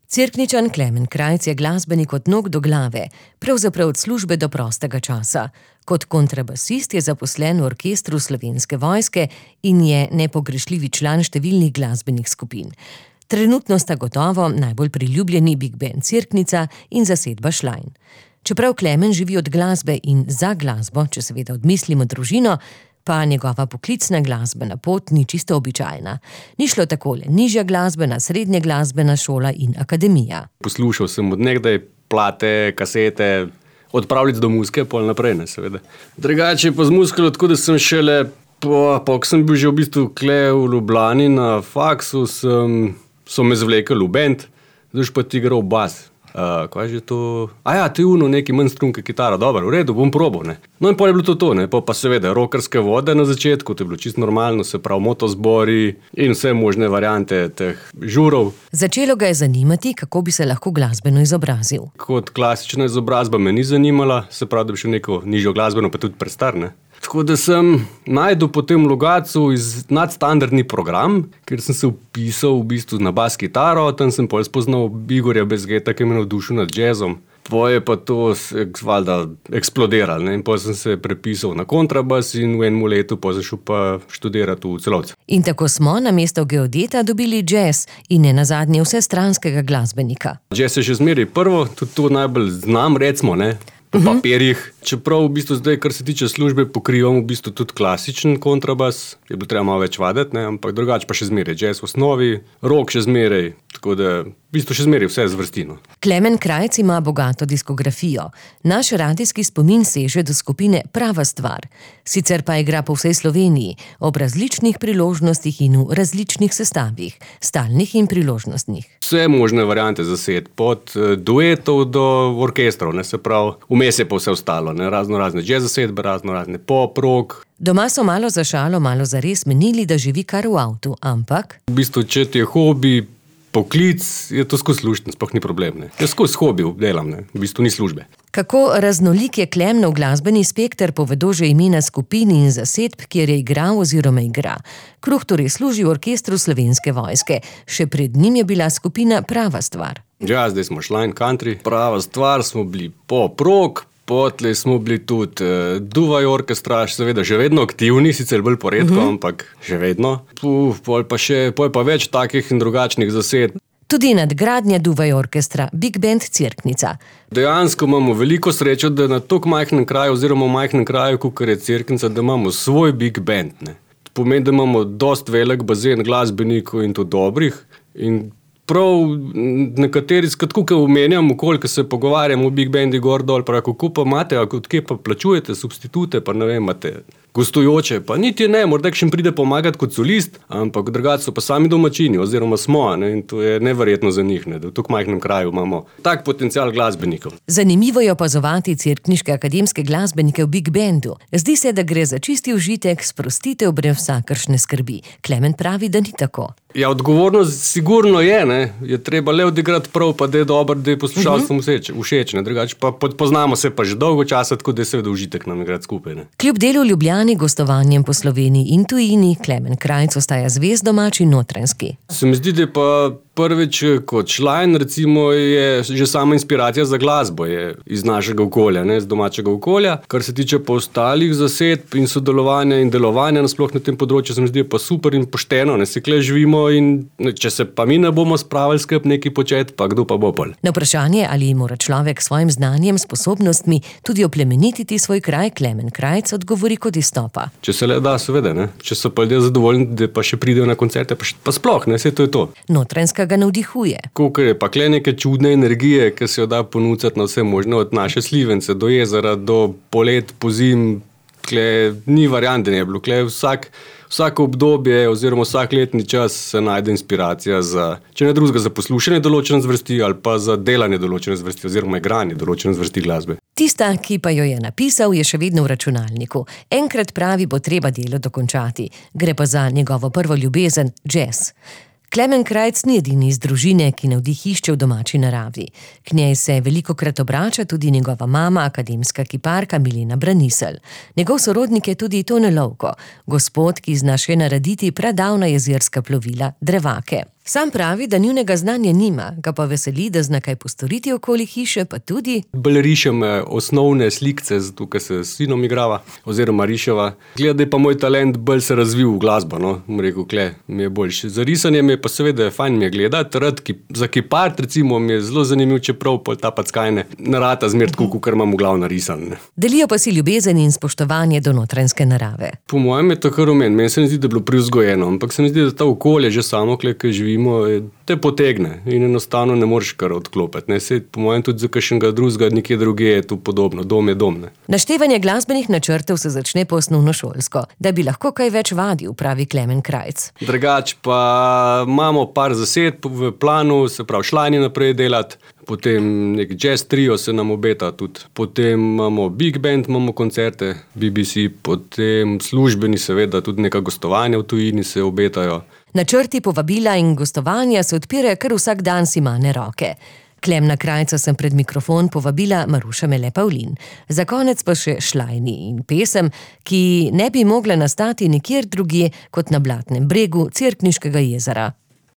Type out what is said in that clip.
Cerkničan Klemen Krajc je glasbenik od nog do glave, pravzaprav od službe do prostega časa. Kot kontrabasist je zaposlen v orkestru Slovenske vojske in je nepogrešljivi član številnih glasbenih skupin. Trenutno sta gotovo najbolj priljubljeni Big Band Cerknica in zasedba Šlajn. Čeprav Klemen živi od glasbe in za glasbo, če seveda odmislimo družino, pa njegova poklicna glasbena pot ni čisto običajna. Ni šlo takole: nižja glasbena, srednja glasbena šola in akademija. Poslušal sem od nekdaj plate, kasete, od pravljic do muzike, pol naprej, ne, seveda. Drugače pa z muziko, tako da sem šele, ko sem bil že v bistvu kle v Ljubljani na faksu, so me zvlekli v band, zdaj pa ti igral bas. Kaj je že to? To je uno, neki manj strunke kitara, dobro, v redu, bom probal, ne. No in pol je bilo to, ne, pa seveda rockerske vode na začetku, to je bilo čisto normalno, se pravi motozbori in vse možne variante teh žurov. Začelo ga je zanimati, kako bi se lahko glasbeno izobrazil. Kot klasična izobrazba me ni zanimala, se pravi, da bi šel neko nižjo glasbeno, pa tudi prestar, ne. Tako da sem najdel potem v Logatcu nadstandardni program, kjer sem se vpisal v bistvu na bas kitaro, tam sem pol spoznal Igorja Bezgeta, ki me navdušil nad jazzom. Pol je pa to valjda eksplodiralo, ne, in pol sem se prepisal na kontrabas in v enem letu pol sem šel pa študirati v Celovcu. In tako smo namesto geodeta dobili jazz in nenazadnje vsestranskega glasbenika. Jazz je še zmeraj prvo, tudi to najbolj znam, recimo, ne. Po papirjih. Čeprav v bistvu zdaj, kar se tiče službe, pokrivam v bistvu tudi klasičen kontrabas, je bilo treba malo več vaditi, ne, ampak drugače pa še zmeraj jazz v osnovi, rock še zmeraj, tako da v bistvu še zmeraj vse zvrstino. Klemen Krajc ima bogato diskografijo. Naš radijski spomin seže do skupine Prava stvar. Sicer pa igra po vsej Sloveniji, ob različnih priložnostih in v različnih sestavih, stalnih in priložnostnih. Vse možne variante zased, od duetov do orkestrov, ne, se pravi, vmes je pa vse ostalo, ne, razne jazz zasedbe, razne pop, rock. Doma so malo za šalo, malo za res menili, da živi kar v avtu, ampak v bistvu, če ti je hobi, poklic, je to skozi služben, sploh ni problem, ne. Jaz skozi hobi delam, ne, v bistvu ni službe. Kako raznolik je Klemnov glasbeni spekter, povedo že imena skupin in zasedb, kjer je igral oziroma igra. Kruh torej služi v orkestru Slovenske vojske. Še pred njim je bila skupina Prava stvar. Ja, zdaj smo Šlajn country. Prava stvar smo bili pop rock, potlej smo bili tudi Duvaj orkestra, seveda že vedno aktivni, sicer bolj poredko, ampak že vedno. Pol pa več takih in drugačnih zased. Tudi nadgradnja Duvaj orkestra, Big Band Cerknica. Dejansko imamo veliko srečo, da na tako majhnem kraju oziroma v majhnem kraju, kakor je Cerknica, da imamo svoj Big Band, ne. Pomeni, da imamo dost velik bazen glasbenikov in to dobrih in prav nekateri, tako kot omenjam, koliko se pogovarjamo o Big Bandi gor dol, prav kako pa imate, od kje pa plačujete substitute, pa ne vem, imate gostujoče, pa niti ne, morda kakšen pride pomagati kot solist, ampak drugače so pa sami domačini, oziroma smo, ne, in to je neverjetno za njih, ne, da v tako majhnem kraju imamo tak potencial glasbenikov. Zanimivo je opazovati cerkniške akademske glasbenike v Big Bandu. Zdi se, da gre za čisti užitek, sprostitev brez vsakršne skrbi. Klemen pravi, da ni tako. Ja, odgovornost sigurno je, ne, je treba le odigrati prav, pa da je dobro, da je poslušalcem všeč, ne, drugače pa poznamo se pa že dolgo časa, tako da je seveda užitek nam igrati skupaj, ne. Kljub delu v Ljubljani, gostovanjem po Sloveniji in tujini, Klemen Krajc ostaja zvest domači Notranjski. Se mi zdi, da je pa prvič kot Šlajn, recimo, je že sama inspiracija za glasbo, je iz našega okolja, ne, iz domačega okolja. Kar se tiče pa ostalih zasedb in sodelovanja in delovanja nasploh na tem področju, se mi zdi pa super in pošteno, ne, se kle živimo in če se pa mi ne bomo spravili skrb nekaj početi, pa kdo pa bo pol. Na vprašanje, ali mora človek s svojim znanjem, sposobnostmi tudi oplemenititi svoj kraj, Klemen Krajc odgovori kot izstopa. Če se le da, seveda, ne. Če so pa ljudje zadovoljni, da pa še pridejo na koncerte, pa sploh, ne, saj to je to. Notranjska ga navdihuje. Koliko je pa kle neke čudne energije, ki se jo da ponucati na vse možne, od naše Slivence do jezera, do polet, pozim, kle ni variante, ne je bilo, kle vsako obdobje oziroma vsak letni čas se najde inspiracija za, če ne drugega, za poslušanje določene zvrsti ali pa za delanje določene zvrsti oziroma igranje določene zvrsti glasbe. Tista, ki pa jo je napisal, je še vedno v računalniku. Enkrat pravi, bo treba delo dokončati. Gre pa za njegovo prvo ljubezen, jazz. Klemen Krajc ni edini iz družine, ki navdih išče v domači naravi. K njej se velikokrat obrača tudi njegova mama, akademska kiparka Milena Braniselj. Njegov sorodnik je tudi Tone Lovko, gospod, ki zna še narediti pradavna jezerska plovila, drevake. Sam pravi, da njunega znanja nima, ga pa veseli, da zna kaj postoriti okoli hiše, pa tudi Bolj rišem osnovne slikce, zato ker se s sinom igrava, oziroma riševa. Gleda, da je pa moj talent bolj se razvil v glasbo, no. Rekel, mi je boljši. Za risanje mi je pa seveda fajn mi je gledati, za kipart recimo mi je zelo zanimiv, čeprav pol ta packajne narata zmer tako, kakor imam v glavu narisan. delijo pa si ljubezen in spoštovanje do notranjske narave. Po mojem je to kar omen. Meni se ne zdi, da je bilo privzgojeno, ampak se mi zdi, da ta okolje že samo, ki živimo, te potegne in enostavno ne moreš kar odklopiti. Ne. Sej, po mojem tudi za kakšnega drugega, nekje drugje je tu podobno. Dom je dom. Ne. Naštevanje glasbenih načrtov se začne po osnovnošolsko, da bi lahko kaj več vadil, pravi Klemen Krajc. Drugač pa imamo par zasedb v planu, se pravi šlajni naprej delati, potem nek jazz trio se nam obeta tudi. Potem imamo big band, imamo koncerte, BBC, potem službeni seveda, tudi neka gostovanja v tujini se obetajo. Načrti, povabila in gostovanja se odpirajo kar vsak dan Simane roke. Klemna Krajca sem pred mikrofon povabila Maruša Mele Pavlin. Za konec pa še šlajni in pesem, ki ne bi mogla nastati nikjer drugje kot na Blatnem bregu Cerkniškega jezera.